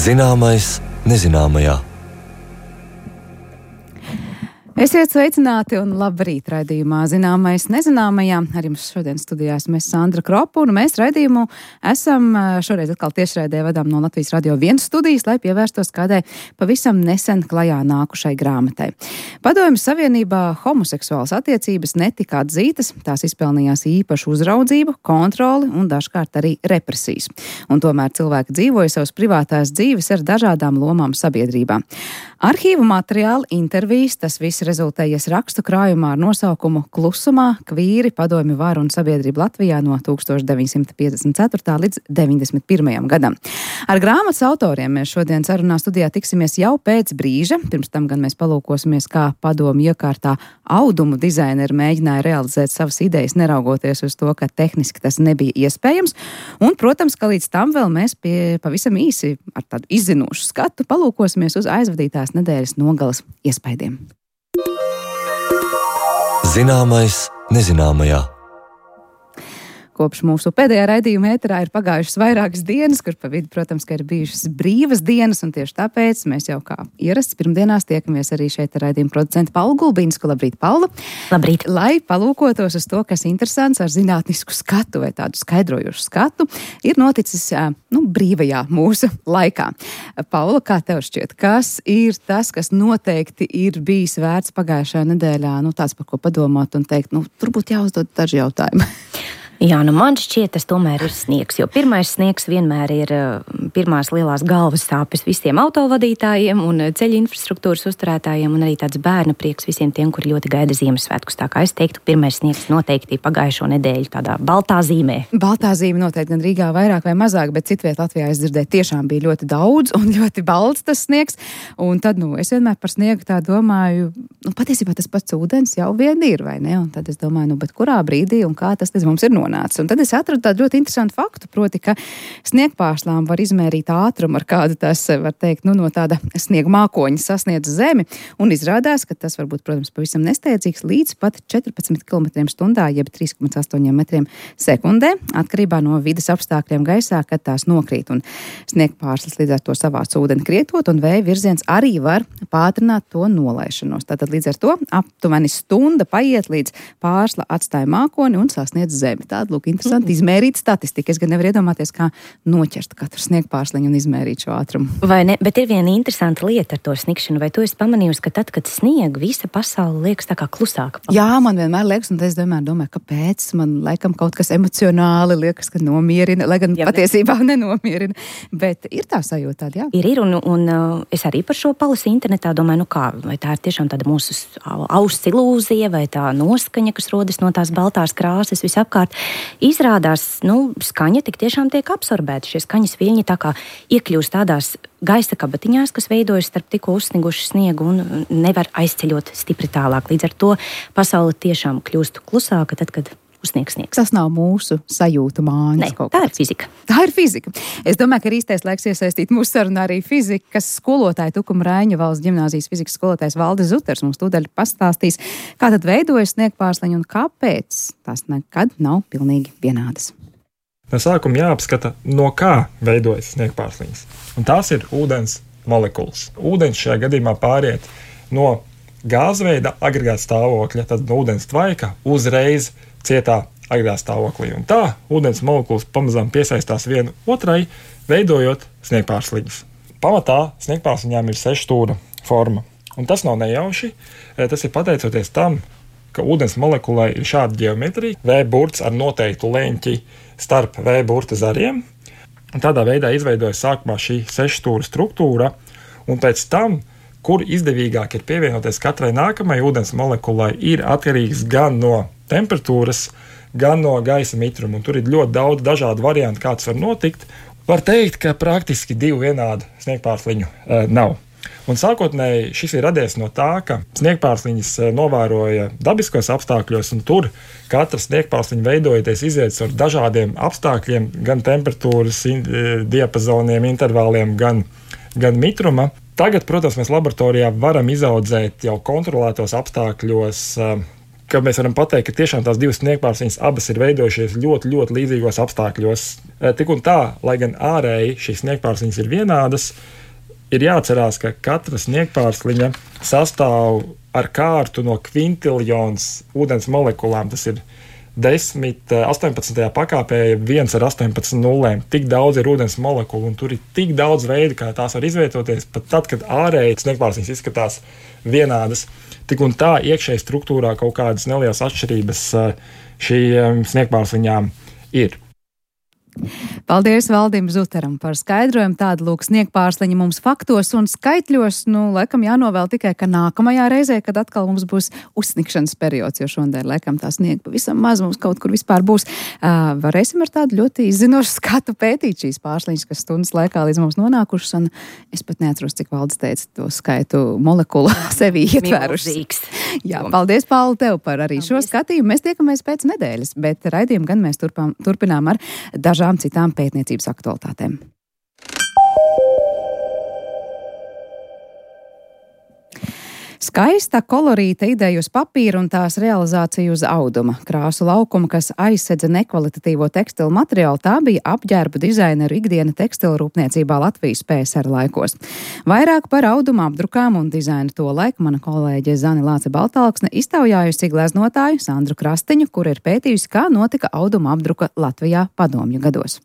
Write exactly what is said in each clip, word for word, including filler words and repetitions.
Zināmais nezināmajā. Esiet sveicināti un labrīt raidījumā Zināmais nezināmajā. Ar jums šodien studijā esmu Sandra Kropa, un mēs raidījumu esam šoreiz atkal tiešraidē vadām no Latvijas Radio viens studijas, lai pievērstos kādai pavisam nesen klajā nākušai grāmatai. Padomju Savienībā homoseksuālas attiecības netika atzītas, tās izpelnījās īpašu uzraudzību, kontroli un dažkārt arī represijas. Un tomēr cilvēki dzīvoja savas privātās dzīves ar dažādām lomām sabiedrībā. Arhīvu materiāli, intervijas, tas viss rezultējies rakstu krājumā ar nosaukumu Klusumā kvīri padomju varu un sabiedrību Latvijā no tūkstoš deviņsimt piecdesmit ceturtā līdz deviņdesmit pirmajam gadam. Ar grāmatas autoriem mēs šodien sarunā studijā tiksimies jau pēc brīža. Pirms tam gan mēs palūkosimies, kā padomju iekārtā audumu dizaineri mēģināja realizēt savas idejas, neraugoties uz to, ka tehniski tas nebija iespējams. Un, protams, ka līdz tam vēl mēs pie pavisam īsi ar tādu izzinošu skatu palūkosimies uz aizvadītās nedēļas nogalas iespaidiem. Zināmais nezināmajā. Kopš mūsu pēdējā raidījuma ēterā ir pagājušas vairākas dienas, kur pa vidu, protams, ka ir bijušas brīvas dienas, un tieši tāpēc mēs jau kā ierasts pirmdienās tiekamies arī šeit ar raidījuma producentu Paulu Gulbīnsku. Labrīt, Paula! Labrīt! Lai palūkotos uz to, kas interesants ar zinātnisku skatu vai tādu skaidrojušu skatu, ir noticis, nu, brīvajā mūsu laikā. Paula, kā tev šķiet, kas ir tas, kas noteikti ir bijis vērts pagājušajā nedēļā, nu, tāds, par ko padomāt un teikt, nu, tur būtu jāuzdod daži jautājumi? Jā, nu man šķiet, tas tomēr ir sniegs, jo pirmais sniegs vienmēr ir pirmās lielās galvas sāpes visiem autovadītājiem un ceļu infrastruktūras uzturētājiem un arī tāds bērna prieks visiem tiem, kuri ļoti gaida Ziemassvētkus. Tā kā es teiktu, pirmais sniegs noteikti pagājušo nedēļu tādā baltā zīmē. Baltā zīme noteikti gan Rīgā vairāk vai mazāk, bet citviet Latvijā es dzirdēju, tiešām bija ļoti daudz un ļoti balts tas sniegs. Un tad, nu, es vienmēr par sniegu tā domāju, nu, patiesībā tas pats ūdens jau vien ir, vai ne? Un tad es domāju, nu, bet kurā brīdī un kā tas mums ir nonācis? Un tad es atradu tādu ļoti interesantu faktu, proti, ka sniegpārslām var izmērīt ātrumu, ar kādu tas, var teikt, nu, no tāda sniega mākoņa sasniedz zemi, un izrādās, ka tas var būt, protams, pavisam nesteidzīgs līdz pat četrpadsmit kilometriem stundā, jeb trīs komats astoņi metriem sekundē, atkarībā no vides apstākļiem gaisā, kad tās nokrīt, un sniegpārslas līdz ar to savāc ūdeni krietot, un vēja virziens arī var pātrināt to nolaišanos. Tātad līdz ar to aptuveni stunda paiet, līdz pārsla atstāja mākoni un sasniedz zemi. Tāda, lūk, interesanti izmērīt statistika. Es gan nevaru iedomāties, kā noķert katru sniegpārsliņu un izmērīt šo ātrumu. Vai ne? Bet ir viena interesanta lieta ar to sniegšanu. Vai tu esi pamanījusi, ka tad, kad snieg, visa pasaule liekas tā kā klusāka? Jā, man vienmēr liekas, un es vienmēr domāju, kāpēc man laikam kaut kas emocionāli liekas, ka nomierina, lai gan jā, patiesībā ne. nenomierina. Bet ir tā sajūta tāda, jā? Ir, ir, un, un es arī par šo palasīju internetā domāju, nu kā, vai tā ir tiešām tāda mūsu auss ilūzija, vai tā noskaņa, kas rodas no tās baltās krāsas visapkārt. Izrādās, nu, skaņa tik tiešām tiek absorbēta. Šie skaņas viļņi tā kā iekļūst tādās gaisa kabatiņās, kas veidojas starp tikko uzsnigušu sniegu un nevar aizceļot stipri tālāk. Līdz ar to pasaule tiešām kļūst klusāka tad, kad uzsniegs sniegs. Tas nav mūsu sajūtu mājas. Nē, tā ir fizika. Tā ir fizika. Es domāju, ka ir īstais laiks iesaistīt mūsu sarunā arī fizikas skolotāju Tukuma Raiņu valsts ģimnāzijas fizikas skolotājs Valdis Zuters. Mums tūdaļ pastāstīs, kā tad veidojas sniegpārsliņi un kāpēc tās nekad nav pilnīgi vienādas. No sākuma jāapskata, no kā veidojas sniegpārsliņas. Un tās ir ūdens molekulas. Ūdens šajā gadījumā pāriet no gāzveida agregāta stāvokļa, tad no ūdens tvaika uzreiz cietā agregāta stāvoklī. Un tā ūdens molekulas pamazām piesaistās vienu otrai, veidojot sniegpārsliņus. Pamatā sniegpārsliņām ir sešstūra forma. Un tas nav nejauši. Tas ir pateicoties tam, ka ūdens molekulai ir šāda ģeometrija, V burts ar noteiktu leņķi starp V burta zariem. Un tādā veidā izveidojas sākumā šī sešstūra struktūra, un pēc tam, kur izdevīgāk ir pievienoties katrai nākamai ūdens molekulai, ir atkarīgs gan no temperatūras, gan no gaisa mitruma. Un tur ir ļoti daudz dažādu variantu, kā tas var notikt. Var teikt, ka praktiski divu vienādu sniegpārsliņu e, nav. Un sākotnēji šis ir radies no tā, ka sniegpārsliņas novēroja dabiskos apstākļos, un tur katra sniegpārsliņa veidojoties iziet ar dažādiem apstākļiem, gan temperatūras in, diapazoniem, intervāliem, gan, gan mitruma. Tagad, protams, mēs laboratorijā varam izaudzēt jau kontrolētos apstākļos ka mēs varam pateikt, ka tiešām tās divas sniegpārsliņas abas ir veidojušies ļoti, ļoti līdzīgos apstākļos. Tik un tā, lai gan ārēji šīs sniegpārsliņas ir vienādas, ir jāatcerās, ka katra sniegpārsliņa sastāv ar kārtu no kvintiljons ūdens molekulām. Tas ir desmit, astoņpadsmitajā pakāpē viens ar astoņpadsmit nullēm. Tik daudz ir ūdens molekulu, un tur ir tik daudz veidu, kā tās var izvietoties, pat tad, kad ārēji sniegpārsliņas izskatās vienādas. Tik un tā iekšēji struktūrā kaut kādas nelielas atšķirības šīm sniegpārsliņām ir. Paldies Valdim Zuteram par skaidrojumu. Tāda lūk sniegpārsliņa mums faktos un skaitļos. Nu, laikam jānovēl tikai, ka nākamajā reizē, kad atkal mums būs uzsnigšanas periods, jo šodien, laikam, tā sniega pavisam maz mums kaut kur vispār būs. Uh, varēsim ar tādu ļoti izzinošu skatu pētīt šīs pārsliņas, kas stundas laikā līdz mums nonākušas, un es pat neatceros, cik Valdis teica to skaitu molekulu sevi ietvērušas. Jā, paldies, Pauli, tev par arī paldies. Šo skatījumu. Mēs tiekamies pēc nedēļas, bet raidījumu gan mēs turpām, turpinām ar dažām citām pētniecības aktualitātēm. Skaista kolorīta ideja uz papīra un tās realizācija uz auduma. Krāsu laukuma, kas aizsedza nekvalitatīvo tekstilu materiālu, tā bija apģērbu dizaineru ikdiena tekstilu rūpniecībā Latvijas P S R laikos. Vairāk par auduma apdrukām un dizainu to laiku mana kolēģe Zani Lāce Baltalksne iztaujājusi gleznotāju Sandru Krastiņu, kur ir pētījusi, kā notika auduma apdruka Latvijā padomju gados.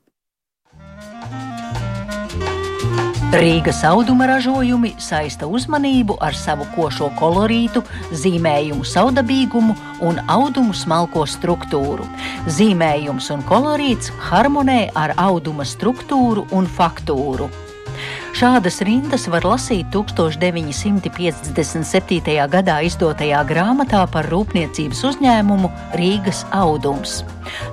Rīgas auduma ražojumi saista uzmanību ar savu košo kolorītu, zīmējumu saudabīgumu un audumu smalko struktūru. Zīmējums un kolorīts harmonē ar auduma struktūru un faktūru. Šādas rindas var lasīt tūkstoš deviņi simti piecdesmit septītajā gadā izdotajā grāmatā par rūpniecības uzņēmumu Rīgas audums.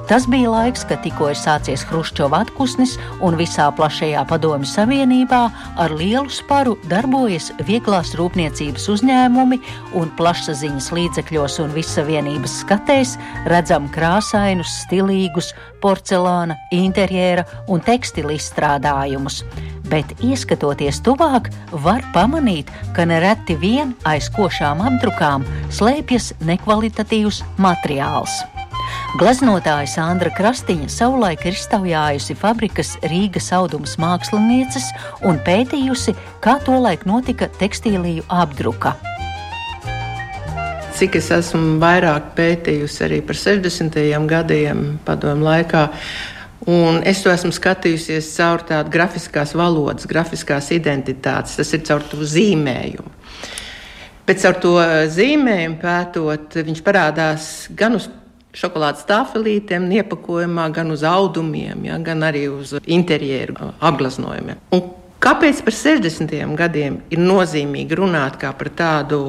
Tas bija laiks, kad tikko ir sācies Hruščova atpūsnis un visā plašajā Padomju Savienībā ar lielu sparu darbojas vieglās rūpniecības uzņēmumi un plašsaziņas līdzekļos un vissavienības skatēs redzam krāsainus, stilīgus, porcelāna, interjera un tekstila izstrādājumus. Bet ieskatoties tuvāk, var pamanīt, ka nereti vien aiz košām apdrukām slēpjas nekvalitatīvs materiāls. Gleznotāja Sandra Krastiņa savulaik ir iztaujājusi fabrikas Rīgas audums mākslinieces un pētījusi, kā tolaik notika tekstīliju apdruka. Cik es esmu vairāk pētījusi arī par sešdesmitajiem gadiem padomju laikā, un es to esmu skatījusies caur tādu grafiskās valodas, grafiskās identitātes, tas ir caur to zīmējumu. Bet caur to zīmējumu pētot, viņš parādās gan uz šokolādes tāfelītēm, iepakojumā, gan uz audumiem, ja, gan arī uz interjeru apgleznojumiem. Un kāpēc par sešdesmitajiem gadiem ir nozīmīgi runāt kā par tādu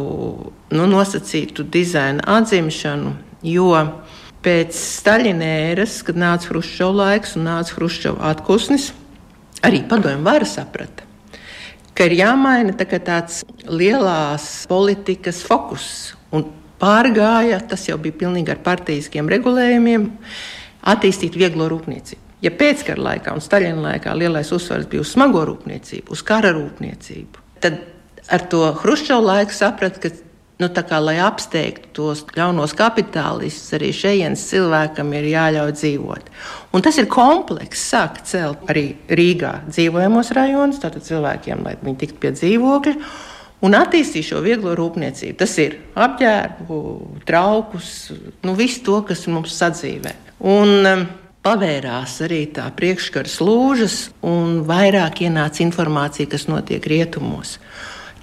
nu, nosacītu dizaina atzimšanu, jo pēc Staļina ēras, kad nāca Hruščova laiks un nāca Hruščova atpūsnis, arī padomju vara saprata, ka ir jāmaina tā, tāds lielās politikas fokus un pārgāja, tas jau bija pilnīgi ar partijiskiem regulējumiem, attīstīt vieglo rūpniecību. Ja pēckara laikā un Staļina laikā lielais uzsvars bija uz smago rūpniecību, uz kara rūpniecību, tad ar to Hruščova laiku saprata, ka nu, tā kā, lai apsteigtu tos ļaunos kapitālistus, arī šejienes cilvēkam ir jāļauj dzīvot. Un tas ir komplekss, sāk celt arī Rīgā dzīvojamos rajonus, tātad cilvēkiem, lai viņi tiktu pie dzīvokļa, un attīstīt šo vieglo rūpniecību. Tas ir apģērbu, traukus, nu visu to, kas mums sadzīvē. Un um, pavērās arī tā priekškara slūžas, un vairāk ienāca informācija, kas notiek rietumos.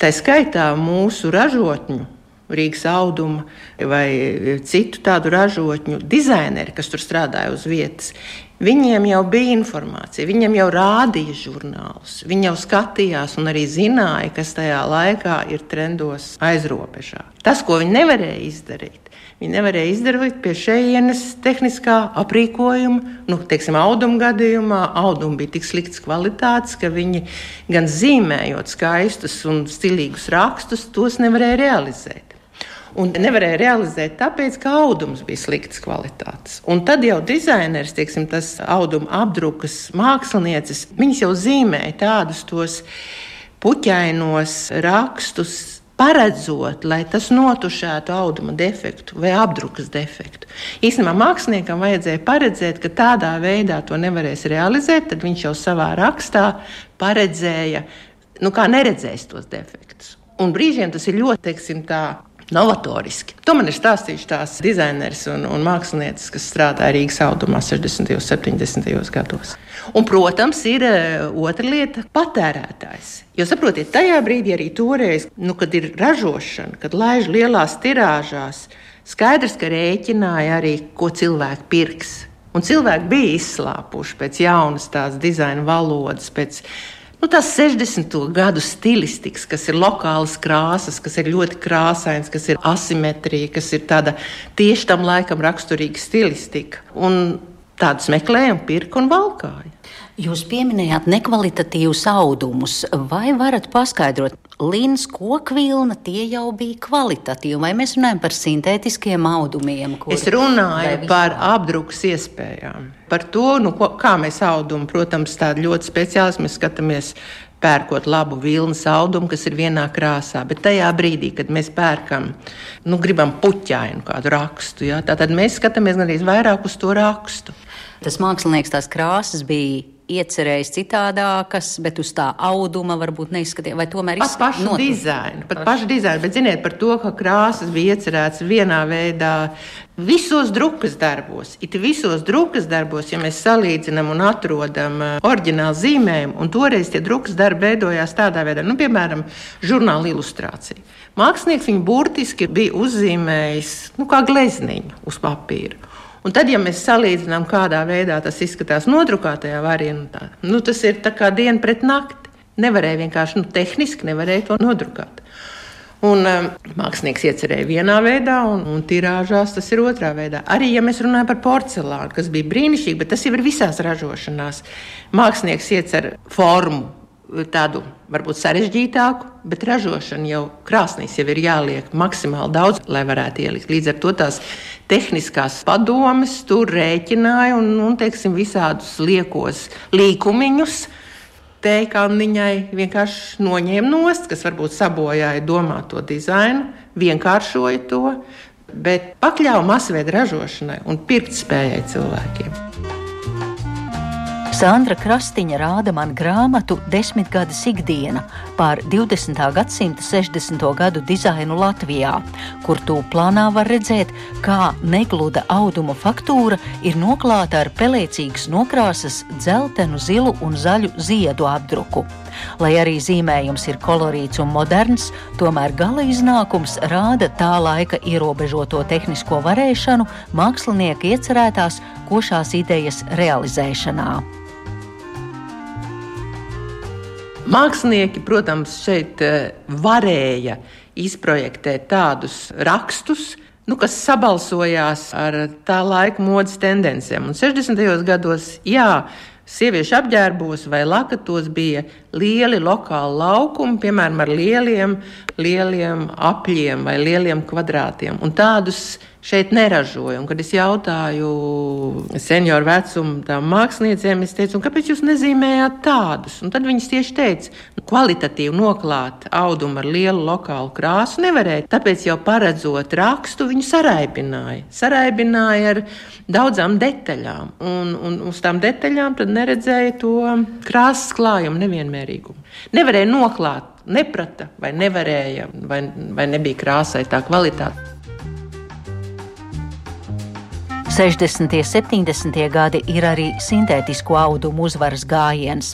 Tā skaitā mūsu ražotņu, Rīgas auduma vai citu tādu ražotņu dizaineri, kas tur strādāja uz vietas, viņiem jau bija informācija, viņiem jau rādīja žurnālus, viņi jau skatījās un arī zināja, kas tajā laikā ir trendos aizrobežā. Tas, ko viņi nevarēja izdarīt, viņi nevarēja izdarīt pie šejienes tehniskā aprīkojuma, nu, teiksim, auduma gadījumā, auduma bija tik sliktas kvalitātes, ka viņi gan zīmējot skaistus un stilīgus rakstus, tos nevarēja realizēt. Un nevarēja realizēt tāpēc, ka audums bija sliktas kvalitātes. Un tad jau dizaineris, teiksim, tas auduma apdrukas mākslinieces, viņas jau zīmēja tādus tos puķainos rakstus, paredzot, lai tas notušētu auduma defektu vai apdrukas defektu. Īstenībā māksliniekam vajadzēja paredzēt, ka tādā veidā to nevarēs realizēt, tad viņš jau savā rakstā paredzēja, nu kā neredzēs tos defektus. Un brīžiem tas ir ļoti, teiksim tā, novatoriski. To man ir stāstījuši tās dizainers un, un mākslinieces, kas strādāja Rīgas audumā sešdesmitajos, septiņdesmitajos gados. Un, protams, ir otra lieta – patērētājs. Jo saprotiet, tajā brīdī arī toreiz, nu, kad ir ražošana, kad laiž lielās tirāžās, skaidrs, ka rēķināja arī, ko cilvēki pirks. Un cilvēki bija izslāpuši pēc jaunas tās dizaina valodas, pēc Nu, tās sešdesmito gadu stilistikas, kas ir lokālas krāsas, kas ir ļoti krāsains, kas ir asimetrija, kas ir tāda tieši tam laikam raksturīga stilistika. Un tādus meklējam, pirka un valkāja. Jūs pieminējāt nekvalitatīvus audumus. Vai varat paskaidrot, lins, kokvilna, tie jau bija kvalitatīvi, vai mēs runājam par sintētiskiem audumiem? Kur, es runāju par apdrukas iespējām. Par to, nu, ko, kā mēs audumu, protams, tādi ļoti speciālisti, mēs skatāmies pērkot labu vilnas audumu, kas ir vienā krāsā, bet tajā brīdī, kad mēs pērkam, nu, gribam puķainu kādu rakstu, ja, tātad mēs skatāmies arī vairāk uz to rakstu. Tas mākslinieks tās krāsas bija iecerējis citādākas, bet uz tā auduma varbūt neizskatīja, vai tomēr izskatīja? Pat pašu dizainu, pat pašu dizainu, bet ziniet par to, ka krāsas bija iecerēts vienā veidā visos drukas darbos. It visos drukas darbos, ja mēs salīdzinām un atrodam oriģinālu zīmējumu, un toreiz tie drukas darbi veidojās tādā veidā, nu, piemēram, žurnāla ilustrācija. Mākslinieks viņu burtiski bija uzzīmējis, nu, kā glezniņu uz papīra. Un tad, ja mēs salīdzinām, kādā veidā tas izskatās nodrukātajā variantā, nu, tas ir tā kā diena pret nakti. Nevarēja vienkārši, nu, tehniski nevarēja to nodrukāt. Un um, mākslinieks iecerēja vienā veidā, un, un tirāžās tas ir otrā veidā. Arī, ja mēs runājam par porcelānu, kas bija brīnišķīgi, bet tas jau ir visās ražošanās. Mākslinieks iecer formu, tādu varbūt sarežģītāku, bet ražošana jau krāsnīs jau ir jāliek maksimāli daudz, lai varētu ielikt. Līdz ar to tās tehniskās padomes tur rēķināja un, un teiksim, visādus liekos līkumiņus teikalniņai vienkārši noņēma nost, kas varbūt sabojāja domāto dizainu, vienkāršoja to, bet pakļāva masveida ražošanai un pirktspējai cilvēkiem. Sandra Krastiņa rāda man grāmatu Desmitgades ikdiena par divdesmitā gadsimta sešdesmito gadu dizainu Latvijā, kur tūplānā var redzēt, kā negluda auduma faktūra ir noklāta ar pelēcīgas nokrāsas dzeltenu, zilu un zaļu ziedu apdruku. Lai arī zīmējums ir kolorīts un moderns, tomēr gala iznākums rāda tā laika ierobežoto tehnisko varēšanu mākslinieka iecerētās košās idejas realizēšanā. Mākslinieki, protams, šeit varēja izprojektēt tādus rakstus, nu, kas sabalsojās ar tā laika modes tendencēm. Un sešdesmitajos gados, jā, sieviešu apģērbos vai lakatos bija lieli lokāli laukumi, piemēram, ar lieliem, lieliem apļiem vai lieliem kvadrātiem. Un tādus šeit neražoja. Un, kad es jautāju senioru vecumu tām māksliniecēm, es teicu, un kāpēc jūs nezīmējāt tādus? Un tad viņas tieši teica, nu, kvalitatīvi noklāt audumu ar lielu lokālu krāsu nevarēja. Tāpēc jau paredzot rakstu, viņu saraibināja. Saraibināja ar daudzām detaļām. Un, un uz tām detaļām tad neredzēja to krāsas klājumu nevienmērīgumu. Nevarēja noklāt, neprata vai nevarēja, vai, vai nebija krāsai tā kvalitāte. sešdesmitie, septiņdesmitie gadi ir arī sintētisko audumu uzvaras gājiens.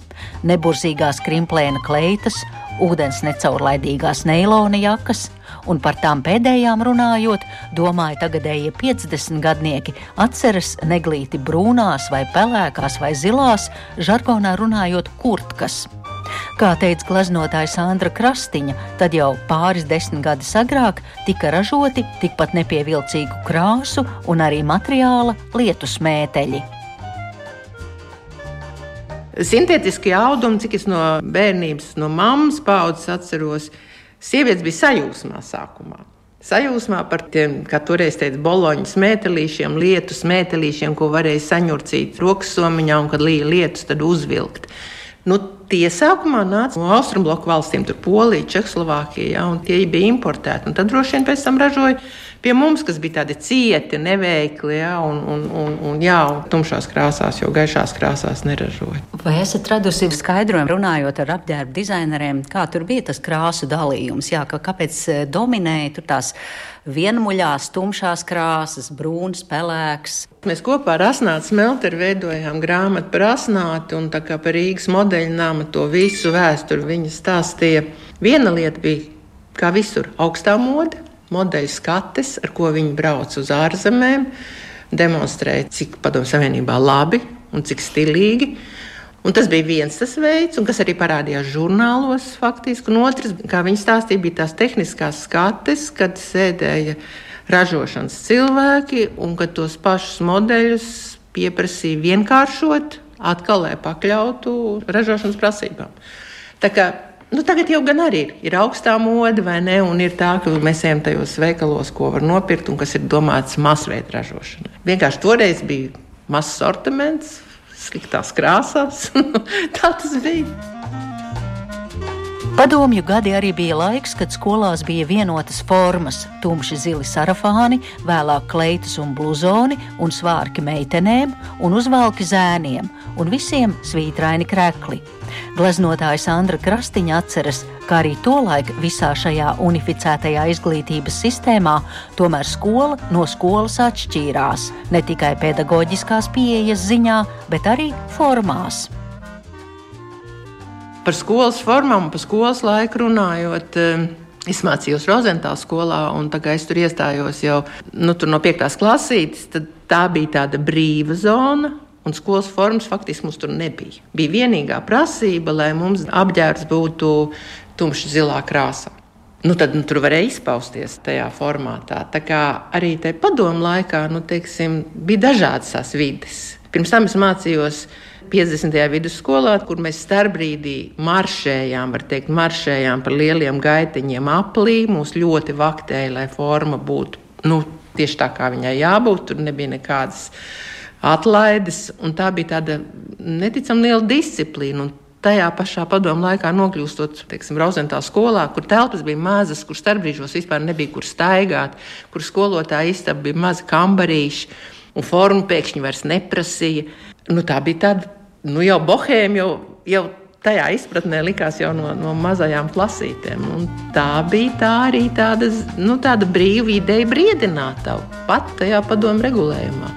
Neburzīgās krimplēna kleitas, ūdens necaurlaidīgās neilona jakas, un par tām pēdējām runājot, domāju, tagadējie piecdesmitgadnieki atceras neglīti brūnās vai pelēkās vai zilās, žargonā runājot kurtkas. Kā teica gleznotāja Sandra Krastiņa, tad jau pāris desmit gadus agrāk tika ražoti tikpat nepievilcīgu krāsu un arī materiāla lietu smēteļi. Sintētiskie audumi, cik es no bērnības, no mammas paudzes atceros, sievietes bija sajūsmā sākumā. Sajūsmā par tiem, kā toreiz teica, boloņu smētelīšiem, lietu smētelīšiem, ko varēja saņurcīt rokas somiņā un, kad līja lietus, tad uzvilkt. Nu, tie sākumā nāca no Austrumbloku valstīm, tur Polija, Čehoslovākija, ja, un tie bija importēti. Un tad droši vien pēc tam ražoja pie mums, kas bija tādi cieti, neveikli, ja, un, un, un, un, jā, un tumšās krāsās, jo gaišās krāsās neražoja. Vai esat radusi skaidrojumu, runājot ar apģērbu dizaineriem, kā tur bija tas krāsu dalījums? Jā, ka, kāpēc dominēja tur tās vienmuļās, tumšās krāsas, brūns, pelēks? Mēs kopā ar Asnātu Smelteri veidojām grāmatu par Asnātu, un tā kā par Rīgas modeļu nama to visu vēsturi viņa stāstīja. Viena lieta bija, kā visur, augstā mode, modeļu skates, ar ko viņi brauc uz ārzemēm, demonstrēja, cik Padomju Savienībā labi un cik stilīgi. Un tas bija viens tas veids, un kas arī parādījās žurnālos faktiski. Un otrs, kā viņi stāstīja, bija tās tehniskās skates, kad sēdēja ražošanas cilvēki, un kad tos pašus modeļus pieprasīja vienkāršot, atkal lai pakļautu ražošanas prasībām. Tā kā, nu tagad jau gan arī ir, ir augstā mode, vai ne, un ir tā, ka mēs ejam tajos veikalos, ko var nopirkt, un kas ir domāts masveida ražošanai. Vienkārši toreiz bija mazs sortiments, sliktās krāsās. Tā tas bija. Padomju gadi arī bija laiks, kad skolās bija vienotas formas – tumši zili sarafāni, vēlāk kleitas un bluzoni un svārki meitenēm un uzvalki zēniem un visiem svītraini krekli. Gleznotāja Sandra Krastiņa atceras, ka arī tolaik visā šajā unificētajā izglītības sistēmā tomēr skola no skolas atšķīrās, ne tikai pedagoģiskās pieejas ziņā, bet arī formās. Par skolas formām un par skolas laiku runājot, es mācījos Rozentāla skolā, un tā kā es tur iestājos jau nu, tur no piektās klasītes, tad tā bija tāda brīva zona, un skolas formas faktiski mums tur nebija. Bija vienīgā prasība, lai mums apģērbs būtu tumši zilā krāsā. Nu, tad nu, tur varēja izpausties tajā formātā. Tā kā arī tajā padomu laikā, nu, teiksim, bija dažādas tās vides. Pirms tam es mācījos piecdesmitajā vidusskolā, kur mēs starpbrīdī maršējām, var teikt, maršējām par lieliem gaitiņiem aplī. Mūs ļoti vaktēja, lai forma būtu nu, tieši tā, kā viņai jābūt. Tur nebija nekādas atlaides, un tā bija tāda neticam liela disciplīna. Un tajā pašā padomu laikā nokļūstot, teiksim, Rozentāla skolā, kur telpas bija mazas, kur starpbrīžos vispār nebija kur staigāt, kur skolotāja istaba bija mazi kambarīši, un formu pēkšņi vairs neprasīja. Nu, tā bija tāda, nu jau bohēma, jau, jau tajā izpratnē likās jau no, no mazajām klasītēm. Un tā bija tā arī tāda, nu, tāda brīva ideja briedināt tavu pat tajā padomu regulējumā.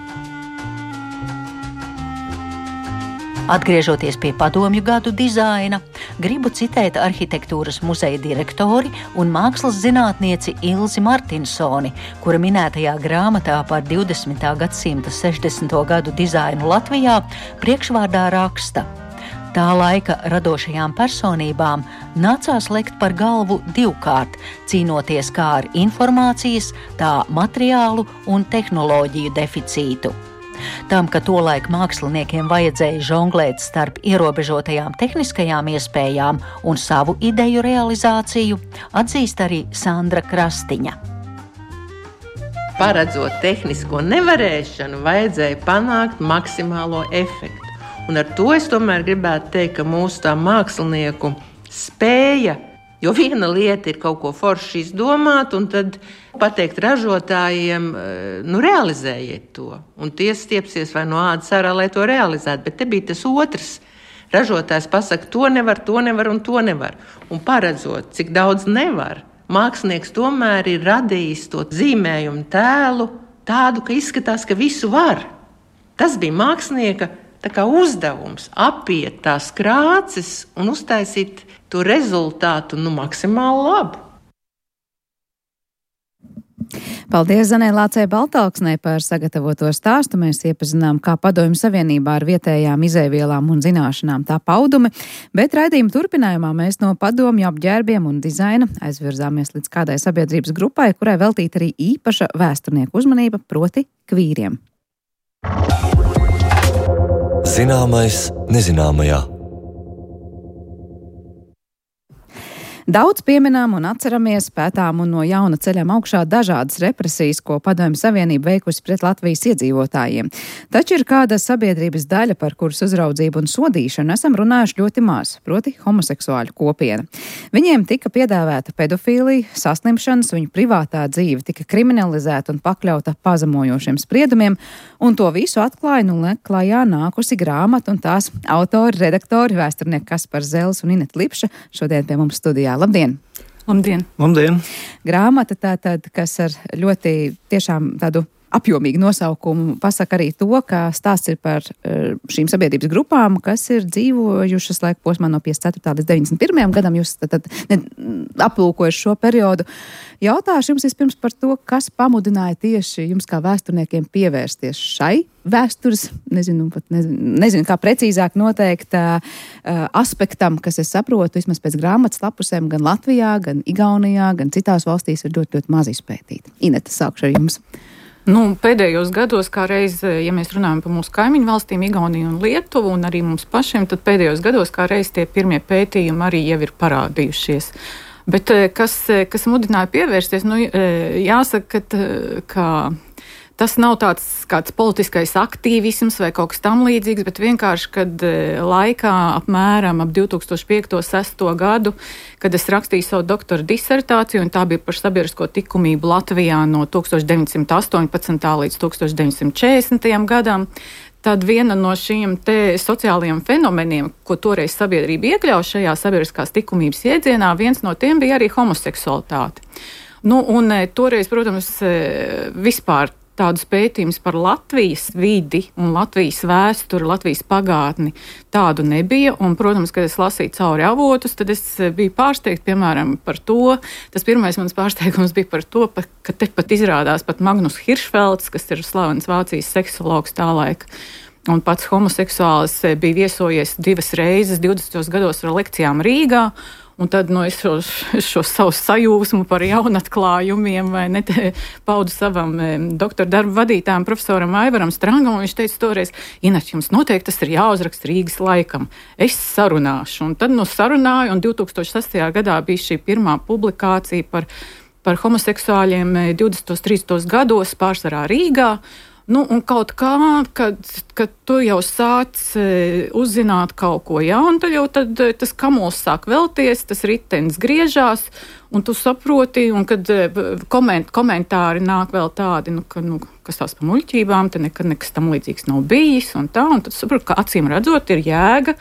Atgriežoties pie padomju gadu dizaina, gribu citēt arhitektūras muzeja direktori un mākslas zinātnieci Ilzi Martinsoni, kura minētajā grāmatā par divdesmitā gadsimta sešdesmito gadu dizainu Latvijā priekšvārdā raksta: tā laika radošajām personībām nācās lekt par galvu divkārt, cīnoties kā ar informācijas, tā materiālu un tehnoloģiju deficītu. Tam, ka tolaik māksliniekiem vajadzēja žonglēt starp ierobežotajām tehniskajām iespējām un savu ideju realizāciju, atzīst arī Sandra Krastiņa. Paredzot tehnisko nevarēšanu, vajadzēja panākt maksimālo efektu. Un ar to es tomēr gribētu teikt, ka mūsu tā mākslinieku spēja, jo viena lieta ir kaut ko forši izdomāt, un tad pateikt ražotājiem, nu, realizējiet to. Un tie stiepsies vai no ādas ārā, lai to realizētu. Bet te bija tas otrs. Ražotājs pasaka, to nevar, to nevar un to nevar. Un paredzot, cik daudz nevar, mākslinieks tomēr ir radījis to zīmējumu tēlu tādu, ka izskatās, ka visu var. Tas bija mākslinieka tā kā uzdevums apiet tās krāces un uztaisīt to rezultātu nu, maksimāli labu. Paldies Zanē Lācei Baltalksnei par sagatavoto stāstu. Mēs iepazinām, kā Padomju Savienībā ar vietējām izēvielām un zināšanām tā paudumi, bet raidījuma turpinājumā mēs no padomju apģērbiem un dizaina aizvirzāmies līdz kādai sabiedrības grupai, kurai veltīta arī īpaša vēsturnieku uzmanība, proti kvīriem. Zināmais nezināmajā. Daudz pieminām un atceramies, pētām un no jauna ceļam augšā dažādas represijas, ko Padomju Savienība veikusi pret Latvijas iedzīvotājiem. Taču ir kāda sabiedrības daļa, par kuras uzraudzību un sodīšanu esam runājuši ļoti maz, proti homoseksuāļu kopiena. Viņiem tika piedāvēta pedofīlija, saslimšanas, viņu privātā dzīve tika kriminalizēta un pakļauta pazemojošiem spriedumiem, un to visu atklāja nu klajā nākusi grāmata un tās autori, redaktori, vēsturnieki Kaspars Zels un Ineta Lipša šodien pie mums studijā. Labdien! Labdien! Labdien! Grāmata tātad, kas ar ļoti tiešām tādu apjomīgu nosaukumu pasaka arī to, ka stāsts ir par šīm sabiedrības grupām, kas ir dzīvojušas laika posmā no piecdesmit ceturtā līdz deviņdesmit pirmajam gadam. Jūs tad, tad ne, aplūkojuši šo periodu. Jautāšu jums vispirms par to, kas pamudināja tieši jums kā vēsturniekiem pievērsties šai vēstures, nezinu, pat nezinu, nezinu kā precīzāk noteikt uh, aspektam, kas es saprotu, vismaz pēc grāmatas lapusēm, gan Latvijā, gan Igaunijā, gan citās valstīs ir ļoti, ļoti maz izpētīti. Ineta, sākšu ar jums. Nu, pēdējos gados, kā reiz, ja mēs runājam par mūsu kaimiņu valstīm, Igauniju un Lietuvu, un arī mums pašiem, tad pēdējos gados, kā reiz, tie pirmie pētījumi arī jau ir parādījušies. Bet kas, kas mudināja pievērsties, nu, jāsaka, ka, ka tas nav tāds kāds politiskais aktīvisms vai kaut kas tam līdzīgs, bet vienkārši, kad laikā apmēram ap divi tūkstoši piekto sesto gadu, kad es rakstīju savu doktora disertāciju, un tā bija par sabiedrisko likumību Latvijā no tūkstoš deviņsimt astoņpadsmitā līdz tūkstoš deviņsimt četrdesmitajam gadam, tad viena no šiem te sociālajiem fenomeniem, ko toreiz sabiedrība iekļauj šajā sabiedriskās likumības iedzienā, viens no tiem bija arī homoseksualitāte. Nu, un toreiz, protams, vispār tādus pētījumus par Latvijas vidi un Latvijas vēsturi, Latvijas pagātni tādu nebija. Un, protams, kad es lasīju cauri avotus, tad es biju pārsteigta, piemēram, par to. Tas pirmais mans pārsteigums bija par to, ka te pat izrādās pat Magnus Hiršfelds, kas ir slavens Vācijas seksologs tā laika. Un pats homoseksuāls bija viesojies divas reizes divdesmitos gados ar lekcijām Rīgā. Un tad nu, es šo, šo savu sajūsmu par jaunatklājumiem vai ne, paudu savam e, doktora darbu vadītājam profesoram Aivaram Strangam, un viņš teica toreiz, Inet, jums noteikti tas ir jāuzraksta Rīgas laikam. Es sarunāšu. Un tad nu sarunāju, un divi tūkstoši sestajā gadā bija šī pirmā publikācija par, par homoseksuāļiem divdesmitos, trīsdesmitos gados, pārsvarā Rīgā. Nu, un kaut kā, kad, kad tu jau sāc e, uzzināt kaut ko jaunu, tad jau tad, tas kamols sāk velties, tas ritenis griežās, un tu saproti, un kad e, koment, komentāri nāk vēl tādi, nu, ka, nu, kas tās pa muļķībām, te nekad nekas tam līdzīgs nav bijis, un tā, un tad saproti, ka acīm redzot ir jēga,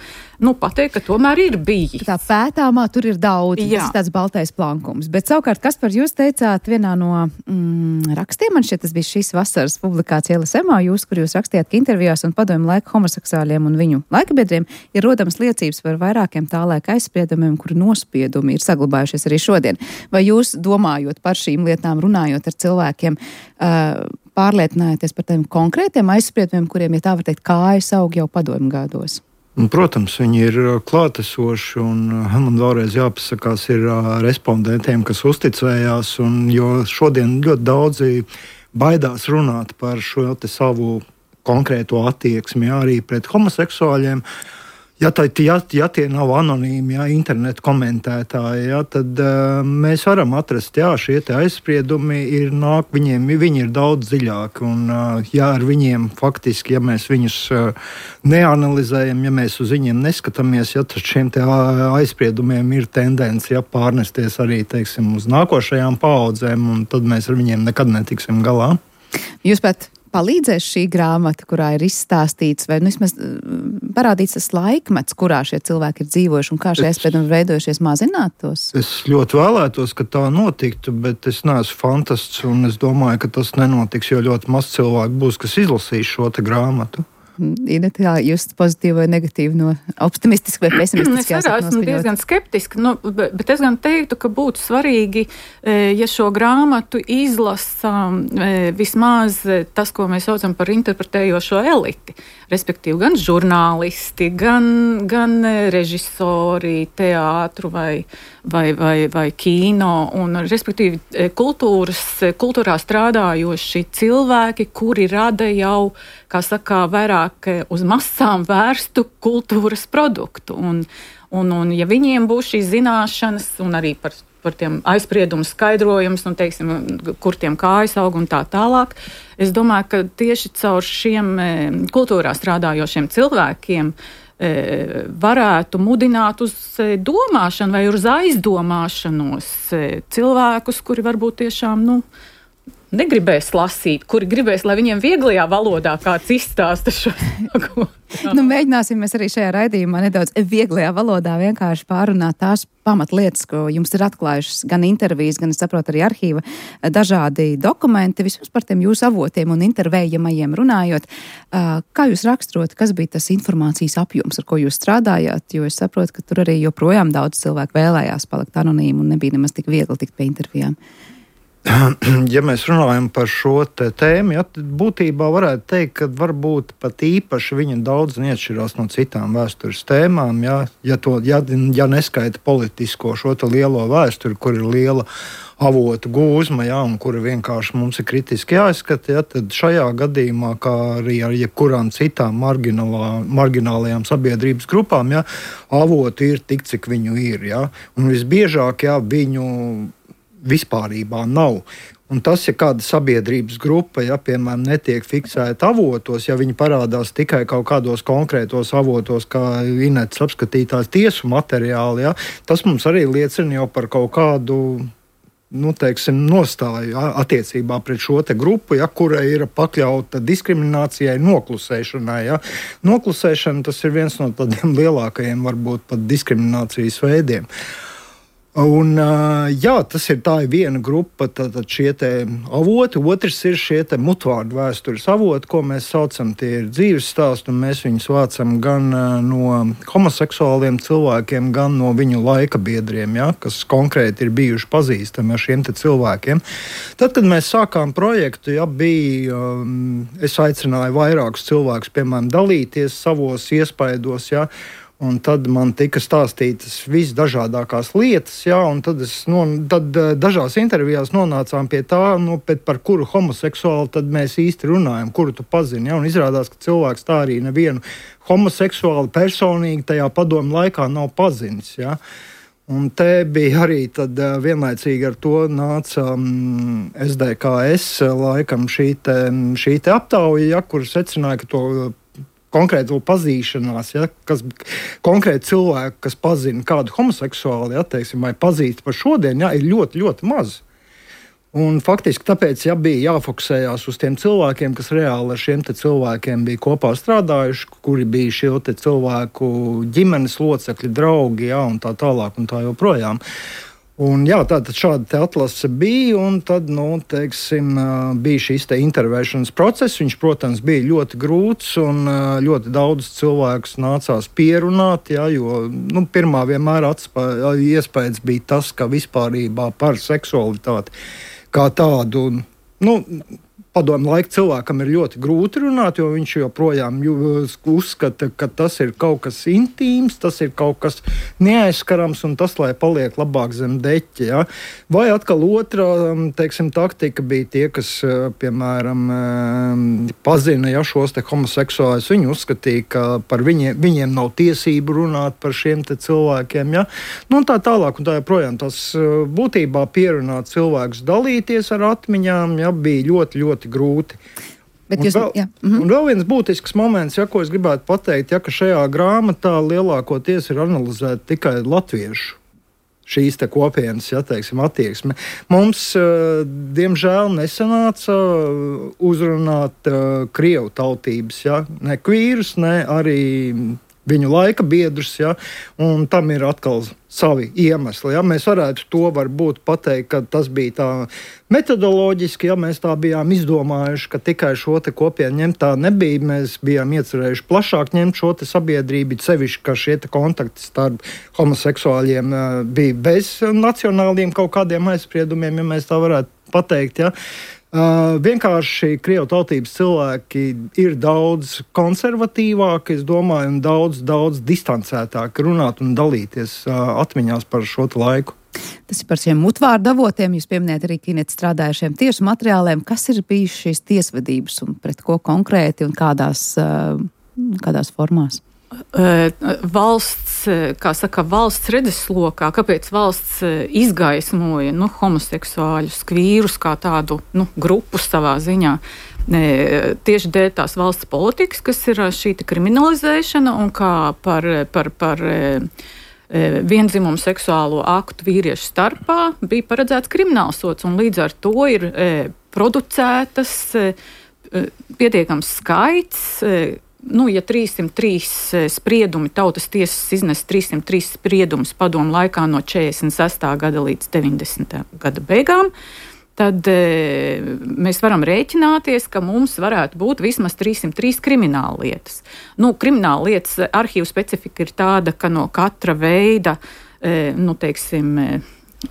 nu, pateikt, ka tomēr ir bijis. Tā pētāmā tur ir daudz, Jā. tas ir tāds baltais plankums. Bet savukārt, Kaspar, jūs teicāt vienā no mm, rakstiem, man šķiet, tas bija šīs vasaras publikācija L S M A, jūs, kur jūs rakstījāt, ka intervijās un padomju laika homoseksuāļiem un viņu laikabiedriem ir rodams liecības par vairākiem tā laika aizspriedumiem, kuru nospiedumi ir saglabājušies arī šodien. Vai jūs, domājot par šīm lietām, runājot ar cilvēkiem, uh, pārliecinājoties par tiem konkrētiem aizspriedumiem, kuriem, ja tā var teikt, kājas aug jau padomju gados? Protams, viņi ir klātesoši, un man vēlreiz jāpasakās ir respondentiem, kas uzticējās, un jo šodien ļoti daudzi baidās runāt par šo te savu konkrēto attieksmi arī pret homoseksuāļiem. Ja, tā, ja, ja tie nav anonīmi, ja, internetu komentētāji, ja, tad uh, mēs varam atrast, jā, šie te aizspriedumi ir nāk, viņiem, viņi ir daudz dziļāki, un uh, ja ar viņiem faktiski, ja mēs viņus uh, neanalizējam, ja mēs uz viņiem neskatāmies, ja, tad šiem te aizspriedumiem ir tendence, ja, pārnesties arī, teiksim, uz nākošajām paaudzēm, un tad mēs ar viņiem nekad netiksim galā. Jūs pat palīdzēs šī grāmata, kurā ir izstāstīts, vai nu vismaz parādīts tas laikmets, kurā šie cilvēki ir dzīvojuši un kā šie aizspriedumi veidojušies, mazināt tos? Es ļoti vēlētos, ka tā notiktu, bet es neesmu fantasts, un es domāju, ka tas nenotiks, jo ļoti maz cilvēku būs, kas izlasīs šo te grāmatu. Ineta, kā jūs pozitīvi vai negatīvi no optimistiski vai pesimistiski? Es arī esmu diezgan skeptiski, nu, bet, bet es gan teiktu, ka būtu svarīgi, ja šo grāmatu izlasa vismaz tas, ko mēs saucam par interpretējošo eliti, respektīvi gan žurnālisti, gan, gan režisori, teātru vai, vai, vai, vai kino, un respektīvi kultūras, kultūrā strādājoši cilvēki, kuri rada jau, kā saka, vairāk uz masām vērstu kultūras produktu. Un, Un, un ja viņiem būs šīs zināšanas un arī par, par tiem aizspriedumu skaidrojums, un, teiksim, kur tiem kājas aug un tā tālāk, es domāju, ka tieši caur šiem kultūrā strādājošiem cilvēkiem varētu mudināt uz domāšanu vai uz aizdomāšanos cilvēkus, kuri varbūt tiešām, nu, negribēs lasīt, kuri gribēs, lai viņiem vieglajā valodā kāds izstāsta šo. Nu, mēģināsim mēs arī šajā raidījumā nedaudz vieglajā valodā vienkārši pārunāt tās pamatlietas, ko jums ir atklājušas gan intervijas, gan, es saprotu, arī arhīva dažādi dokumenti, vismaz par tiem jūsu avotiem un intervējamajiem runājot. Kā jūs raksturot, kas bija tas informācijas apjoms, ar ko jūs strādājāt, jo es saprotu, ka tur arī joprojām daudz cilvēku vēlējās palikt anonīmi un nebija nemaz tik viegli tikt pie intervijām. Ja mēs runājam par šo tēmu, ja, tad būtībā varētu teikt, ka varbūt pat īpaši viņa daudz neatšķirās no citām vēstures tēmām, ja, ja, to, ja, ja neskaita politisko šo lielo vēsturi, kur ir liela avotu gūzma, ja, un kura vienkārši mums ir kritiski jāizskata, ja, tad šajā gadījumā, kā arī ar jebkurām citām marginālajām sabiedrības grupām, ja, avoti ir tik, cik viņu ir. Ja, un visbiežāk, ja, viņu vispārībā nav. Un tas, ja kāda sabiedrības grupa, ja, piemēram, netiek fiksēta avotos, ja viņi parādās tikai kaut kādos konkrētos avotos, kā Inetes apskatītās tiesu materiāli, ja, tas mums arī liecina jau par kaut kādu, nu, teiksim, nostāju, ja, attiecībā pret šo te grupu, ja, kura ir pakļauta diskriminācijai, noklusēšanai. Ja. Noklusēšana, tas ir viens no tādiem lielākajiem, varbūt pat diskriminācijas veidiem. Un, jā, tas ir tā ir viena grupa, tad šie te avoti, otrs ir šie te mutvārdu vēstures avoti, ko mēs saucam, tie ir dzīves stāsti, un mēs viņus vācam gan no homoseksuāliem cilvēkiem, gan no viņu laika biedriem, ja, kas konkrēti ir bijuši pazīstami ar šiem te cilvēkiem. Tad, kad mēs sākām projektu, ja, bija, es aicināju vairākus cilvēkus, piemēram, dalīties savos iespaidos, ja, un tad man tika stāstītas visdažādākās lietas, jā, un tad, es, no, tad dažās intervijās nonācām pie tā, nu, par kuru homoseksuālu tad mēs īsti runājam, kuru tu pazini. Jā, un izrādās, ka cilvēks tā arī nevienu homoseksuālu personīgi tajā padomu laikā nav pazinis. Jā. Un te bija arī tad vienlaicīgi ar to nāca um, S D K S laikam šī te, šī te aptauja, ja, kur secināja, ka to konkrēto pazīšanās, ja, kas konkrēti cilvēki, kas pazina kādu homoseksuāli, ja, teiksim, vai pazīst par šodien, ja, ir ļoti, ļoti maz. Un faktiski tāpēc, ja bija jāfokusējās uz tiem cilvēkiem, kas reāli ar šiem te cilvēkiem bija kopā strādājuši, kuri bija šie te cilvēku ģimenes locekļi, draugi, ja, un tā tālāk un tā joprojām. Un, jā, tātad šāda te atlase bija, un tad, nu, teiksim, bija šīs te intervēšanas process. Viņš, protams, bija ļoti grūts, un ļoti daudz cilvēkus nācās pierunāt, jā, jo, nu, pirmā vienmēr atspā, iespējas bija tas, ka vispārībā par seksualitāti kā tādu, nu, padomu laika cilvēkam ir ļoti grūti runāt, jo viņš joprojām uzskata, ka tas ir kaut kas intīms, tas ir kaut kas neaizskarams, un tas, lai paliek labāk zem deķa. Ja? Vai atkal otrā, teiksim, taktika bija tie, kas, piemēram, pazina, ja, šos te homoseksuālus, viņi uzskatīja, ka par viņiem, viņiem nav tiesību runāt par šiem te cilvēkiem. Ja? Nu, un tā tālāk, un tā joprojām tas būtībā pierunāt cilvēkus dalīties ar atmiņām, ja, bija ļoti, ļoti grūti. Bet jūs, un, vēl, mhm. un vēl viens būtisks moments, ja, ko es gribētu pateikt, ja, ka šajā grāmatā lielākoties ir analizēta tikai latviešu šīs te kopienas, ja, teiksim, attieksme. Mums, diemžēl, nesanāca uzrunāt krievu tautības, ja, ne kvīrus, ne arī viņu laika biedrus, ja, un tam ir atkal savi iemesli. Ja. Mēs varētu to varbūt pateikt, ka tas bija tā metodoloģiski, ja mēs tā bijām izdomājuši, ka tikai šo te kopienu ņemt, tā nebija. Mēs bijām iecerējuši plašāk ņemt šo te sabiedrību, sevišķi, ka šie te kontakti starp homoseksuāļiem bija bez nacionāliem kaut kādiem aizspriedumiem, ja mēs tā varētu pateikt, ja. Uh, vienkārši krievu tautības cilvēki ir daudz konservatīvāki, es domāju, un daudz, daudz distancētāk runāt un dalīties uh, atmiņās par šo laiku. Tas ir par šiem mutvārdu avotiem. Jūs pieminējat arī, ka Inete strādāja ar šiem tiesu materiāliem. Kas ir bijis šīs tiesvedības un pret ko konkrēti un kādās, uh, kādās formās? Valsts, kā saka, valsts redzeslokā, kāpēc valsts izgaismoja nu, homoseksuāļus, kvīrus kā tādu nu, grupu savā ziņā. Tieši dēļ tās valsts politikas, kas ir šī kriminalizēšana un kā par, par, par viendzimumu seksuālo aktu vīriešu starpā bija paredzēts kriminālsods, un līdz ar to ir producētas pietiekams skaits. Nu, ja trīssimt trīs spriedumi, tautas tiesas iznes trīssimt trīs spriedumus padomu laikā no četrdesmit sestā gada līdz deviņdesmitā gada beigām, tad e, mēs varam rēķināties, ka mums varētu būt vismaz trīssimt trīs krimināla lietas. Nu, krimināla lietas arhīvu specifika ir tāda, ka no katra veida, e, nu, teiksim,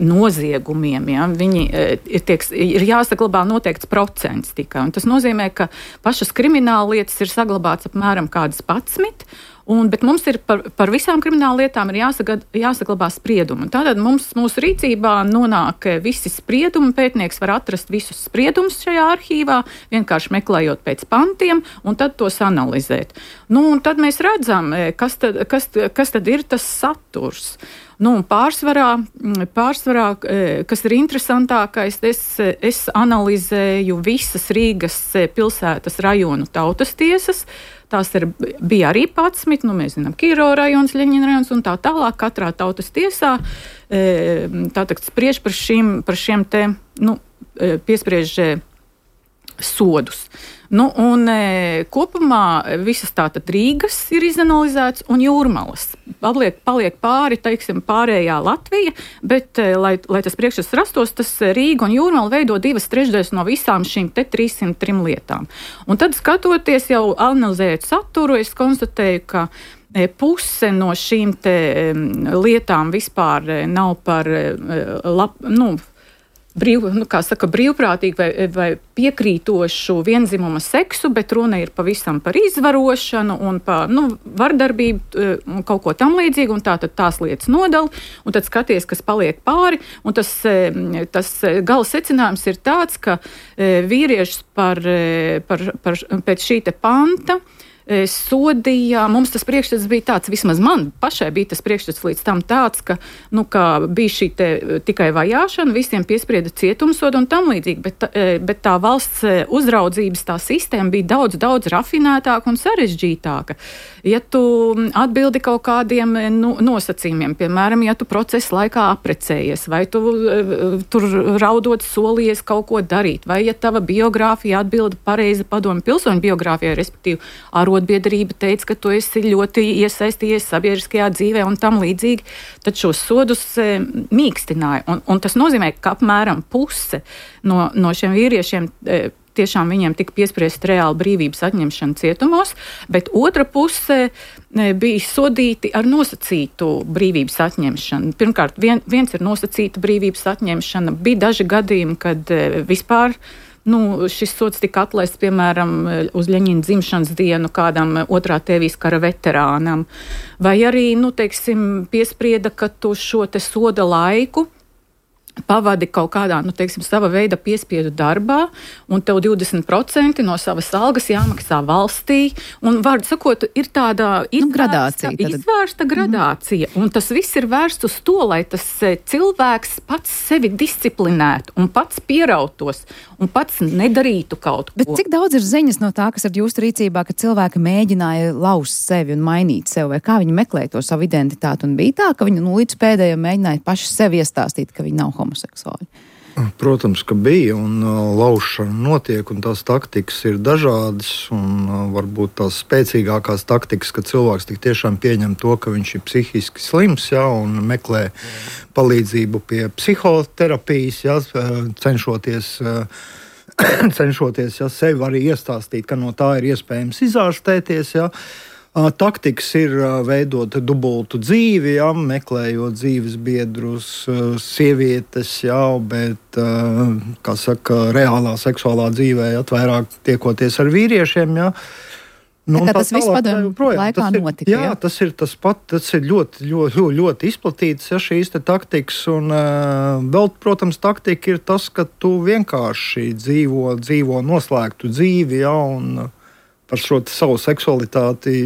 noziegumiem, ja, viņi ir, tieks, ir jāsaglabā noteikts procents tikai. Un tas nozīmē, ka pašas krimināla lietas ir saglabāts apmēram kādas padsmit, un, bet mums ir par, par visām krimināla lietām ir jāsagad, jāsaglabā spriedumi. Tātad mums, mūsu rīcībā nonāk visi spriedumi, pētnieks var atrast visus spriedumus šajā arhīvā, vienkārši meklējot pēc pantiem, un tad tos analizēt. Nu, un tad mēs redzam, kas tad, kas, kas tad ir tas saturs. Nu, pārsvarā, pārsvarā, kas ir interesantākais, es, es analizēju visas Rīgas pilsētas rajonu tautas tiesas. Tās ir, bija arī padsmit, nu, mēs zinām, Kiro rajons, Ļeņina rajons un tā tālāk. Katrā tautas tiesā tātad spriež par šiem, par šiem te, nu, piespriež sodus. Nu, un e, kopumā visas tātad Rīgas ir izanalizēts un Jūrmalas. Paliek, paliek pāri, teiksim, pārējā Latvija, bet, e, lai, lai tas priekšstats rastos, tas Rīga un Jūrmala veido divas trešdaļas no visām šīm te trīssimt trim lietām. Un tad, skatoties jau analizējot saturu, es konstatēju, ka e, puse no šīm te e, lietām vispār e, nav par e, lab, nu, Brīv, nu, kā saka, brīvprātīgi vai, vai piekrītošu vienzimuma seksu, bet runa ir pavisam par izvarošanu un par nu, vardarbību un kaut ko tam līdzīgu, un tā tad tās lietas nodala, un tad skaties, kas paliek pāri, un tas, tas gala secinājums ir tāds, ka vīriešus par, par, par, pēc šī te panta sodīja, mums tas priekšstats bija tāds, vismaz man pašai bija tas priekšstats līdz tam tāds, ka, nu, ka bija šī te tikai vajāšana, visiem piesprieda cietumsodu un tam līdzīgi, bet, bet tā valsts uzraudzības tā sistēma bija daudz, daudz rafinētāka un sarežģītāka. Ja tu atbildi kaut kādiem nu, nosacījumiem, piemēram, ja tu procesa laikā aprecējies, vai tu tur raudot solies kaut ko darīt, vai ja tava biogrāfija atbilda pareizi padomu pilsoņu biogrāfijai, respektīvi arotbiedrība teica, ka tu esi ļoti iesaistījies sabiedriskajā dzīvē un tam līdzīgi, tad šos sodus e, mīkstināja. Un, un tas nozīmē, ka apmēram puse no, no šiem vīriešiem e, tiešām viņiem tika piespriest reāli brīvības atņemšana cietumos, bet otra puse bija sodīti ar nosacītu brīvības atņemšanu. Pirmkārt, vien, viens ir nosacīta brīvības atņemšana. Bija daži gadījumi, kad vispār nu, šis sods tika atlaists, piemēram, uz Ļeņina dzimšanas dienu kādam otrā tēvijas kara veterānam. Vai arī, nu, teiksim, piesprieda, ka tu šo te soda laiku pavadi kaut kādā, nu, teiksim, sava veida piespiedu darbā, un tev divdesmit procenti no savas algas jāmaksā valstī, un, vārdu sakot, ir tāda nu, izvērsta, gradācija, izvērsta gradācija, mm. un tas viss ir vērsts uz to, lai tas cilvēks pats sevi disciplinētu, un pats pierautos, un pats nedarītu kaut ko. Bet cik daudz ir ziņas no tā, kas ir jūsu rīcībā, ka cilvēki mēģināja laust sevi un mainīt sevi, vai kā viņi meklēja to savu identitāti, un bija tā, ka viņi nu, līdz pēdējiem mēģināja paši sevi iestāstīt, ka viņi nav homoseksuāli? Protams, ka bija, un uh, laušana notiek, un tās taktikas ir dažādas, un uh, varbūt tās spēcīgākās taktikas, ka cilvēks tik tiešām pieņem to, ka viņš ir psihiski slims, ja, un meklē palīdzību pie psihoterapijas, ja, cenšoties, uh, cenšoties ja, sevi arī iestāstīt, ka no tā ir iespējams izārstēties, ja. Taktikas ir veidot dubultu dzīvi, ja, meklējot dzīves biedrus, sievietes, ja, bet, kā saka, reālā seksuālā dzīvē, ja, vairāk tiekoties ar vīriešiem. Ja. Nu, tā, tas viss padomu laikā ir, notika. Jā, jā, tas ir tas pat, tas ir ļoti, ļoti, ļoti izplatīts, ja, šīs te taktikas, un uh, vēl, protams, taktika ir tas, ka tu vienkārši dzīvo, dzīvo noslēgtu dzīvi, ja, un par šo savu seksualitāti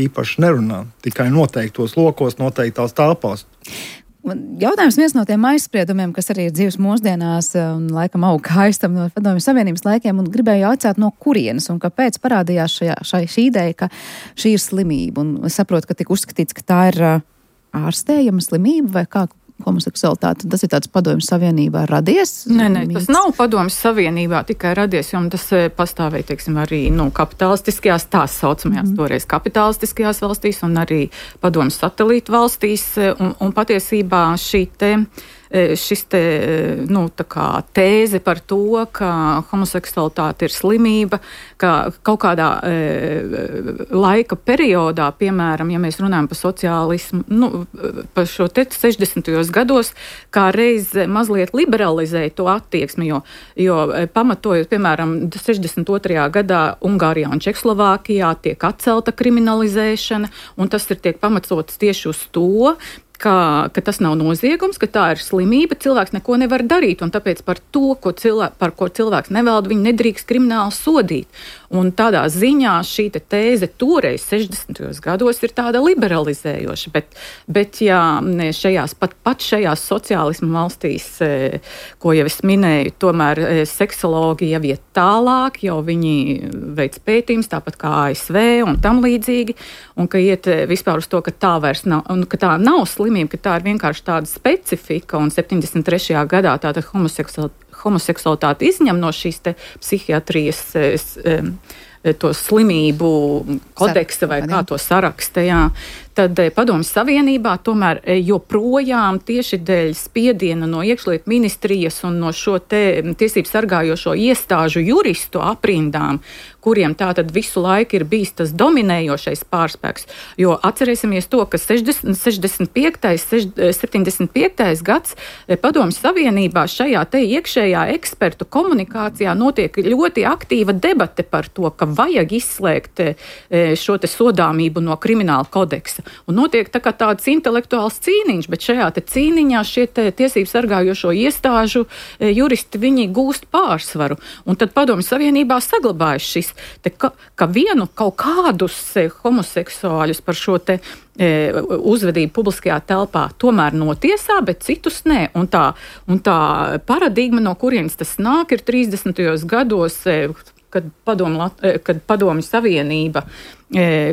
īpaši nerunā. Tikai noteiktos lokos, noteiktās telpās. Jautājums viens no tiem aizspriedumiem, kas arī ir dzīves mūsdienās un laikam aug aiztam no Padomju Savienības laikiem, un gribēju jautāt, no kurienes un kāpēc parādījās šajā, šai, šī ideja, ka šī ir slimība. Un es saprotu, ka tika uzskatīts, ka tā ir ārstējama slimība vai kā homoseksualitāte. Tas ir tāds Padomju Savienībā radies? Nē, nē, tas nav Padomju Savienībā tikai radies, jo tas pastāvēja, teiksim, arī nu, kapitalistiskajās, tās saucamajās mm. toreiz kapitalistiskajās valstīs un arī Padomju satelītu valstīs. Un, un patiesībā šī te šis te, nu, tā kā tēze par to, ka homoseksualitāte ir slimība, ka kaut kādā e, laika periodā, piemēram, ja mēs runājam par sociālismu, nu, par šo te sešdesmitajos gados, kā reiz mazliet liberalizēja to attieksmi, jo, jo pamatojot, piemēram, sešdesmit otrajā gadā Ungārijā un Čehoslovākijā tiek atcelta kriminalizēšana, un tas ir tiek pamatots tieši uz to, Ka, ka tas nav noziegums, ka tā ir slimība, cilvēks neko nevar darīt, un tāpēc par to, ko cilvēks, par ko cilvēks nevalda, viņi nedrīkst krimināli sodīt. Un tādā ziņā šī te tēze toreiz sešdesmitajos gados ir tāda liberalizējoša, bet, bet jā, šajās, pat, pat šajās sociālismu valstīs, ko jau es minēju, tomēr seksologi jau iet tālāk, jau viņi veic pētījums, tāpat kā A S V un tam līdzīgi, un ka iet vispār uz to, ka tā vairs nav, un ka tā nav slimība, ka tā ir vienkārši tāda specifika, un septiņdesmit trešajā gadā tāda homoseksualitāte homoseksualitāti izņem no šīs te psihiatrijas es, es, to slimību kodeksa vai kā to saraksta, jā. Tad Padomju Savienībā tomēr joprojām tieši dēļ spiediena no iekšlietu ministrijas un no šo te tiesību sargājošo iestāžu juristu aprindām, kuriem tātad visu laiku ir bijis tas dominējošais pārspēks. Jo atcerēsimies to, ka sešdesmit, sešdesmit piektais, septiņdesmit piektais gads Padomju Savienībā šajā te iekšējā ekspertu komunikācijā notiek ļoti aktīva debate par to, ka vajag izslēgt šo te sodāmību no krimināla kodeksa. Un notiek tā kā tāds intelektuāls cīniņš, bet šajā te cīniņā šie te tiesību sargājošo iestāžu juristi, viņi gūst pārsvaru. Un tad Padomju Savienībā saglabājas šis, te, ka, ka vienu kaut kādus homoseksuāļus par šo te e, uzvedību publiskajā telpā tomēr notiesā, bet citus nē. Un tā, un tā paradigma, no kurienes tas nāk, ir trīsdesmitajos gados, e, kad Padomju, kad Padomju Savienība,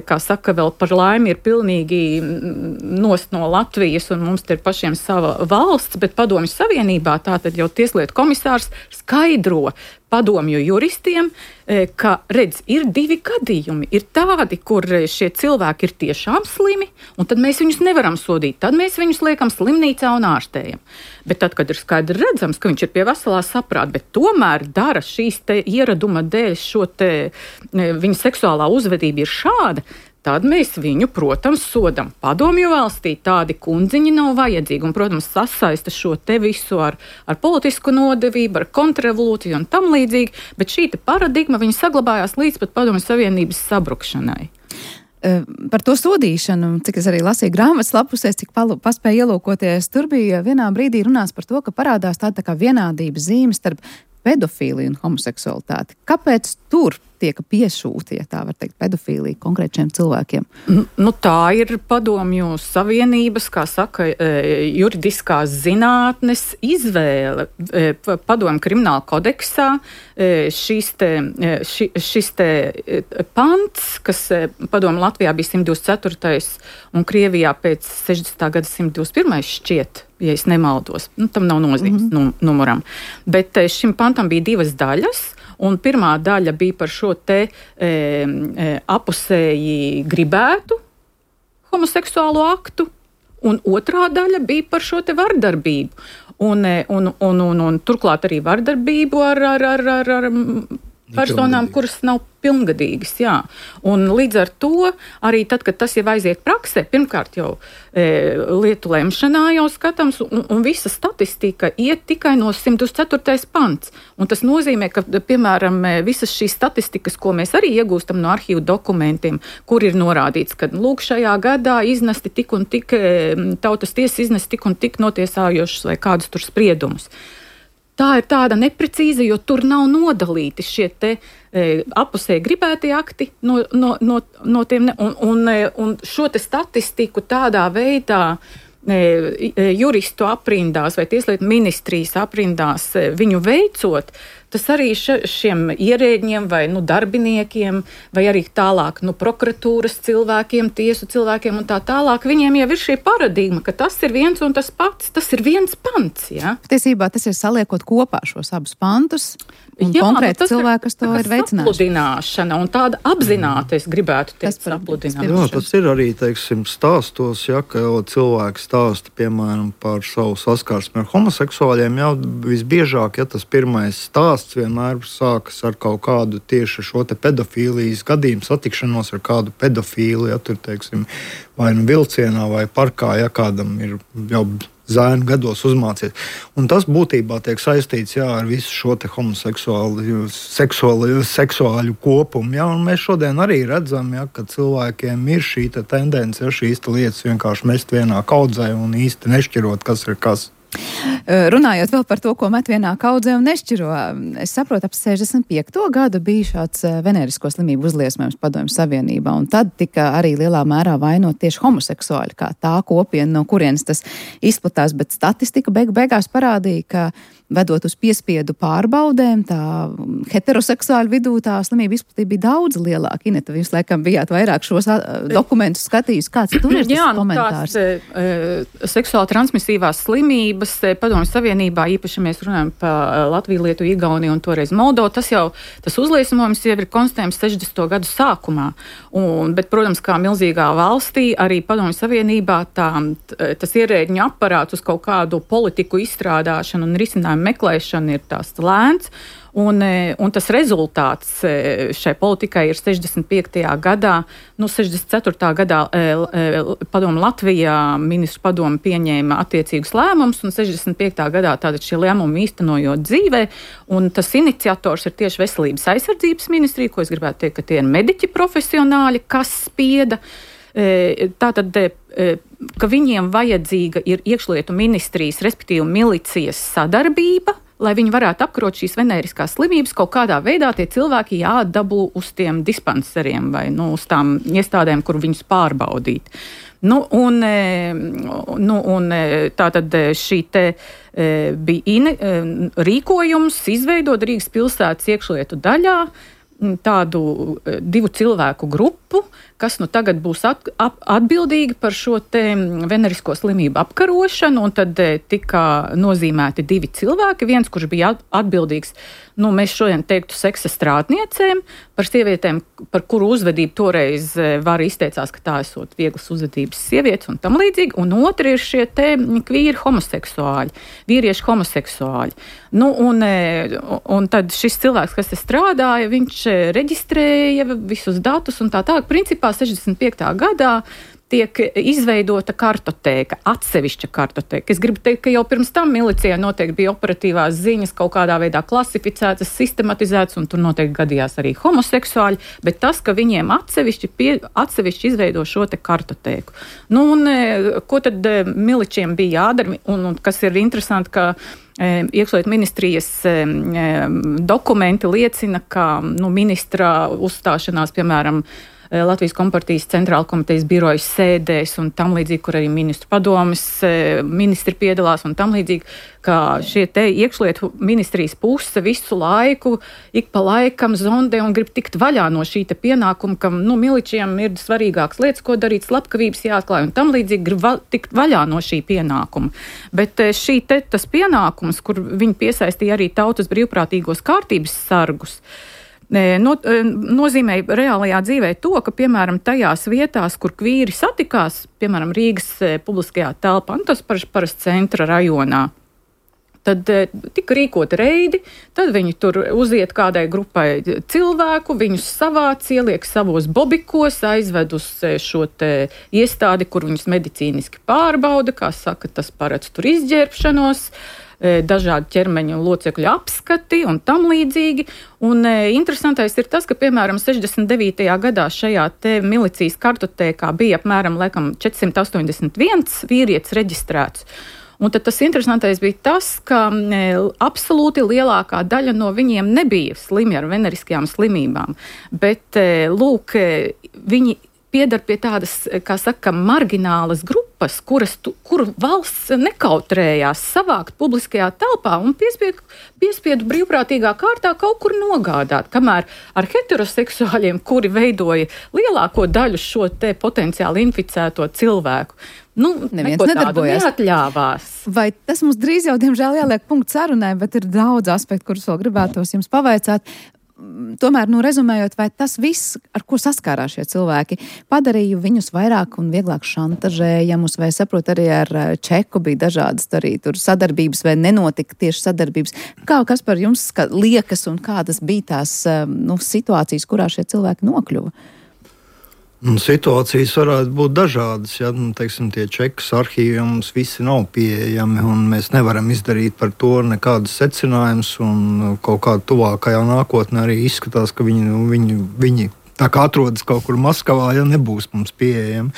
kā saka, vēl par laimi ir pilnīgi nost no Latvijas un mums te ir pašiem sava valsts, bet Padomju Savienībā tātad jau tieslietu komisārs skaidro padomju juristiem, ka, redz, ir divi gadījumi. Ir tādi, kur šie cilvēki ir tiešām slimi, un tad mēs viņus nevaram sodīt. Tad mēs viņus liekam slimnīcā un ārstējam. Bet tad, kad ir skaidri redzams, ka viņš ir pie veselā saprāta, bet tomēr dara šīs te ieraduma dēļ šo te, viņa seksuālā uzvedība ir šāda, tad mēs viņu, protams, sodam. Padomju valstī tādi kundziņi nav vajadzīgi un, protams, sasaista šo te visu ar, ar politisku nodevību, ar kontrrevolūciju un tam līdzīgi, bet šī te paradigma, viņa saglabājās līdz pat Padomju Savienības sabrukšanai. Par to sodīšanu, cik es arī lasīju grāmatas lapusēs, cik palu, paspēju ielūkoties, tur bija vienā brīdī runāts par to, ka parādās tāda tā kā vienādības zīme starp pedofīliju un homoseksualitāti. Kāpēc tur tiek piešūti, ja tā var teikt, pedofīlija konkrētiem cilvēkiem? Nu, tā ir Padomju Savienības, kā saka, juridiskās zinātnes izvēle. Padomju krimināla kodeksā šis te, ši, šis te pants, kas Padomju Latvijā bija simt divdesmit ceturtais un Krievijā pēc sešdesmitā gada simt divdesmit pirmais šķiet, ja es nemaldos. Nu, tam nav nozīmes mm-hmm. num, numuram. Bet šim pantam bija divas daļas. Un pirmā daļa bija par šo te e, e, apusēji gribētu homoseksuālo aktu, un otrā daļa bija par šo te vardarbību. Un, un, un, un, un turklāt arī vardarbību ar, ar, ar, ar, ar personām, kuras nav pilngadīgas, jā. Un līdz ar to arī tad, kad tas jau aiziet praksē, pirmkārt jau e, lietu lemšanā jau skatams, un, un visa statistika iet tikai no simt divdesmit ceturtais pants. Un tas nozīmē, ka, piemēram, visas šīs statistikas, ko mēs arī iegūstam no arhīvu dokumentiem, kur ir norādīts, ka, lūk, šajā gadā iznesti tik un tik, tautas tiesas iznesti tik un tik notiesājošus vai kādus tur spriedumus. tā ir tāda neprecīza, jo tur nav nodalīti šie te e, apusē gribētie akti no, no, no, no tiem, ne, un, un, un šo te statistiku tādā veidā e, juristu aprindās vai tieslietu ministrijas aprindās e, viņu veicot, tas arī šiem ierēģiem vai nu, darbiniekiem, vai arī tālāk nu, prokuratūras cilvēkiem, tiesu cilvēkiem un tā tālāk, viņiem jau ir šī paradigma, ka tas ir viens un tas pats, tas ir viens pants. Ja? Patiesībā tas ir saliekot kopā šos abus pantus un Jā, konkrēti nu, cilvēki, kas to ir veicinājuši. Sapludināšana un tāda apzināta, es gribētu teikt, sapludināšana. Jā, tas ir arī, teiksim, stāstos, ja, ka cilvēki stāsta, piemēram, par savu saskarsmi ar homoseksuāļiem, jau visbiežāk, ja tas pirmais stāsts vienmēr sākas ar kaut kādu tieši šo te pedofīlijas gadījumu, satikšanos ar kādu pedofīlu, ja tur, teiksim, vai nu vilcienā vai parkā, ja kādam ir jau zēnu gados uzmācies. Un tas būtībā tiek saistīts jā, ar visu šo te homoseksuālu seksuālu, seksuāļu kopumu. Jā, un mēs šodien arī redzam, jā, ka cilvēkiem ir šī te tendence, ja, šīs te lietas vienkārši mest vienā kaudzē un īsti nešķirot, kas ir kas. Runājot vēl par to, ko met vienā kaudzē un nešķiro, es saprotu, ap sešdesmit piekto gadu bija šāds venerisko slimību uzliesmojums Padomju Savienībā, un tad tika arī lielā mērā vainot tieši homoseksuāļi, kā tā kopiena, no kurienes tas izplatās, bet statistika beig beigās parādīja, ka vedot uz piespiedu pārbaudēm, tā heteroseksuāļu vidū tā slimība izplatība bija daudz lielāka. Ineta, jūs laikam bijāt vairāk šos dokumentus skatījis. Kāds tur ir tas Jā, komentārs? Jā, nu tās e, seksuāli transmisīvās slimības Padomju Savienībā, īpaši mēs runājam par Latviju, Lietuvu, Igauniju un toreiz Moldovu, tas jau, tas uzliesmojums jau ir konstatējams sešdesmito gadu sākumā. Un, bet, protams, kā milzīgā valstī, arī Padomju Savienībā tā, tas ierēģiņu aparāts uz kaut kādu politiku izstrādāšanu un risinājumu meklēšana ir tās lēns, un, un tas rezultāts šai politikai ir sešdesmit piektajā gadā, nu sešdesmit ceturtajā gadā padomu Latvijā ministru padomu pieņēma attiecīgus lēmumus, un sešdesmit piektajā gadā tātad šie lēmumi īstenojot dzīvē, un tas iniciators ir tieši Veselības aizsardzības ministrija, ko es gribētu teikt, ka tie ir mediķi profesionāļi, kas spieda. Tātad, ka viņiem vajadzīga ir iekšlietu ministrijas, respektīvi milicijas sadarbība, lai viņi varētu apkarot šīs venēriskās slimības, kaut kādā veidā tie cilvēki jāatdabū uz tiem dispanseriem vai nu, uz tām iestādēm, kur viņus pārbaudīt. Nu, un, nu, un tātad šī te bija in, rīkojums izveidot Rīgas pilsētas iekšlietu daļā tādu divu cilvēku grupu, kas nu tagad būs at, ap, atbildīgi par šo te venerisko slimību apkarošanu, un tad tika nozīmēti divi cilvēki, viens, kurš bija atbildīgs, nu mēs šodien teiktu seksa strādniecēm, par sievietēm, par kuru uzvedību toreiz var izteicās, ka tā esot vieglas uzvedības sievietes un tam līdzīgi, un otri ir šie te kvīri homoseksuāļi, vīrieši homoseksuāļi. Nu, un, un tad šis cilvēks, kas te strādāja, viņš reģistrēja visus datus un tā tālāk. Principā sešdesmit piektajā gadā tiek izveidota kartotēka, atsevišķa kartotēka. Es gribu teikt, ka jau pirms tam milicijā noteikti bija operatīvās ziņas kaut kādā veidā klasificētas, sistematizētas, un tur noteikti gadījās arī homoseksuāļi, bet tas, ka viņiem atsevišķi, pie, atsevišķi izveido šo te kartotēku. Nu, un ko tad miličiem bija jādara, un, un kas ir interesanti, ka iekšlietu ministrijas dokumenti liecina, ka nu, ministra uzstāšanās, piemēram, Latvijas kompartijas centrāla komitejas birojas sēdēs un tam līdzīgi, kur arī ministru padomes ministri piedalās un tam līdzīgi, ka šie te iekšlietu ministrijas puse visu laiku, ik pa laikam zondē un grib tikt vaļā no šī te pienākuma, ka nu, miličiem ir svarīgākas lietas, ko darīt, slepkavības jāatklāj un tam līdzīgi grib va- tikt vaļā no šī pienākuma. Bet šī te tas pienākums, kur viņi piesaistīja arī tautas brīvprātīgos kārtības sargus, No, nozīmē reālajā dzīvē to, ka, piemēram, tajās vietās, kur kvīri satikās, piemēram, Rīgas publiskajā telpā, un tas parasti centra rajonā, tad tika rīkoti reidi, tad viņi tur uziet kādai grupai cilvēku, viņus savāc, ieliek savos bobikos, aizved uz šo te iestādi, kur viņus medicīniski pārbauda, kā saka, tas paredz tur izģērbšanos, dažādi ķermeņa locekļu apskati un tam līdzīgi. Un e, interesantais ir tas, ka, piemēram, sešdesmit devītajā gadā šajā te milicijas kartotēkā bija apmēram, laikam, četrsimt astoņdesmit viens vīrietis reģistrēts. Un tad tas interesantais bija tas, ka absolūti lielākā daļa no viņiem nebija slimi ar veneriskajām slimībām, bet, lūk, viņi piedar pie tādas, kā saka, marginālas grupas, kuras, tu, kuru valsts nekautrējās savākt publiskajā telpā un piespiedu, piespiedu brīvprātīgā kārtā kaut kur nogādāt, kamēr ar heteroseksuāļiem, kuri veidoja lielāko daļu šo te potenciāli inficēto cilvēku, nu, neko tādu neatļāvās. Vai tas mums drīz jau, diemžēl, jāliek punkts sarunai, bet ir daudz aspektu, kurus vēl gribētos jums pavaicāt. Tomēr, nu, rezumējot, vai tas viss, ar ko saskārās šie cilvēki, padarīja viņus vairāk un vieglāk šantažējamus, vai saprot, arī ar Čeku bija dažādas arī tur sadarbības, vai nenotika tieši sadarbības. Kā, kas par jums kā liekas un kādas bija tās, nu, situācijas, kurā šie cilvēki nokļuva? Un situācijas varētu būt dažādas. Ja, nu, teiksim, tie čekas arhīvi mums visi nav pieejami, un mēs nevaram izdarīt par to nekādus secinājumus. Kaut kā tuvākajā nākotnē arī izskatās, ka viņi, nu, viņi, viņi tā kā atrodas kaut kur Maskavā, ja nebūs mums pieejami.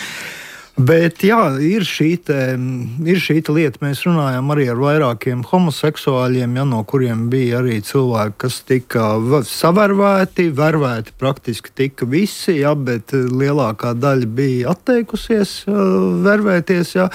Bet jā, ir šī, te, ir šī te lieta. Mēs runājām arī ar vairākiem homoseksuāļiem, ja, no kuriem bija arī cilvēki, kas tika savervēti, vervēti praktiski tika visi, ja, bet lielākā daļa bija atteikusies vervēties. Ja.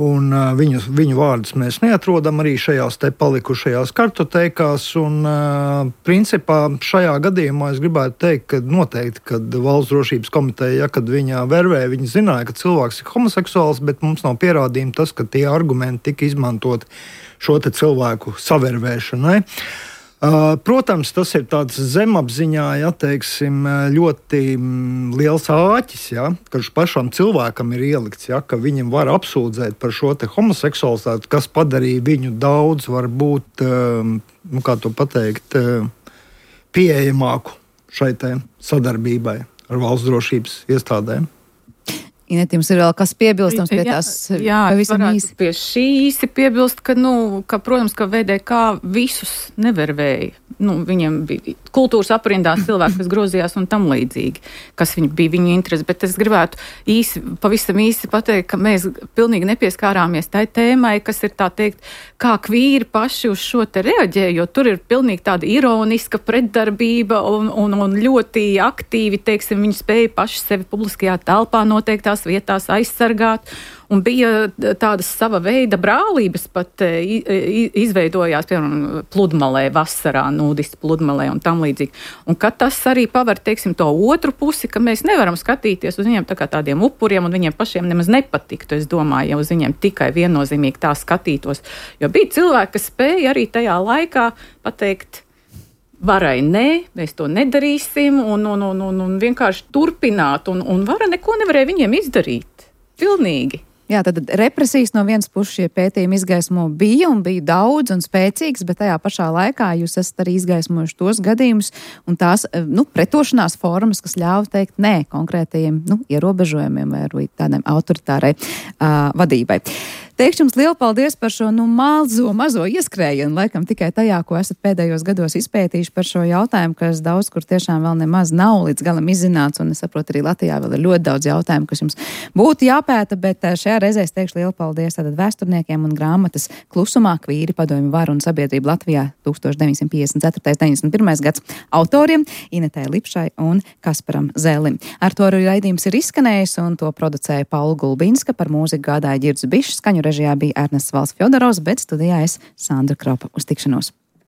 Un, uh, viņu, viņu vārdus mēs neatrodam arī šajās te palikušajās kartotekās. Un, uh, principā šajā gadījumā es gribētu teikt, ka noteikti, kad Valsts drošības komiteja, ja, kad viņa vervēja, viņa zināja, ka cilvēks ir homoseksuāls, bet mums nav pierādījumi tas, ka tie argumenti tika izmantot šo te cilvēku savervēšanai. Uh, protams, tas ir tāds zemapziņā, ja, teiksim, ļoti liels āķis, ja, ka pašam cilvēkam ir ielikts, ja, ka viņam var apsūdzēt par šo te homoseksualitāti, kas padarīja viņu daudz, varbūt, um, nu, kā to pateikt, uh, pieejamāku šai te sadarbībai ar valsts drošības iestādēm. Inet, jums ir vēl kas piebilstams pie tās jā, pavisam īsi? Pie šī īsi piebilst, ka, nu, ka, protams, ka V D K visus nevervēja. Nu, viņiem bija kultūras aprindās cilvēki, kas grozījās un tam līdzīgi, kas viņi bija viņu interesi. Bet es gribētu īsi, pavisam īsi pateikt, ka mēs pilnīgi nepieskārāmies tai tēmai, kas ir tā teikt, kā kvīri paši uz šo te reaģē, jo tur ir pilnīgi tāda ironiska pretdarbība un, un, un ļoti aktīvi, teiksim, viņi spēja paši sevi publiskajā telpā noteiktās vietās aizsargāt. Un bija tādas sava veida brālības pat izveidojās, piemēram, pludmalē vasarā, nūdisti pludmalē un tam līdzīgi. Un kad tas arī paver, teiksim, to otru pusi, ka mēs nevaram skatīties uz viņiem tā kā tādiem upuriem un viņiem pašiem nemaz nepatiktu, es domāju, ja uz viņiem tikai viennozīmīgi tā skatītos. Jo bija cilvēki, kas spēja arī tajā laikā pateikt, varai nē, mēs to nedarīsim un, un, un, un, un vienkārši turpināt, un, un vara neko nevarēja viņiem izdarīt. Pilnīgi. Jā, tad represijas no vienas puses šie pētījumi izgaismo bija un bija daudz un spēcīgs, bet tajā pašā laikā jūs esat arī izgaismojuši tos gadījumus un tās, nu, pretošanās formas, kas ļauj teikt nē konkrētajiem, nu, ierobežojumiem vai tādai autoritārai uh, vadībai. Teikšu jums lielu paldies par šo, nu, mazo, mazo ieskrējienu, laikam tikai tajā, ko esat pēdējos gados izpētījuši par šo jautājumu, kas daudz kur tiešām vēl nemaz nav līdz galam izzināts, un es saprotu, arī Latvijā vēl ir ļoti daudz jautājumu, kas jums būtu jāpēta, bet šajā reizē es teikšu lielu paldies tātad vēsturniekiem un grāmatas Klusumā kvīri padomju varu un sabiedrību Latvijā tusenstoš deviņsimt piecdesmit ceturtais deviņdesmit pirmais gads autoriem Inetei Lipšai un Kasparam Zēlim. Ar to arī raidījums ir izskanējis, un to producēja Paula Gulbinska, par mūziku gādāja Ģirds Bišs, skaņu režijā bija Ernests Valsts Fjodorovs, bet studijā es Sandra Kropa. Uz tikšanos!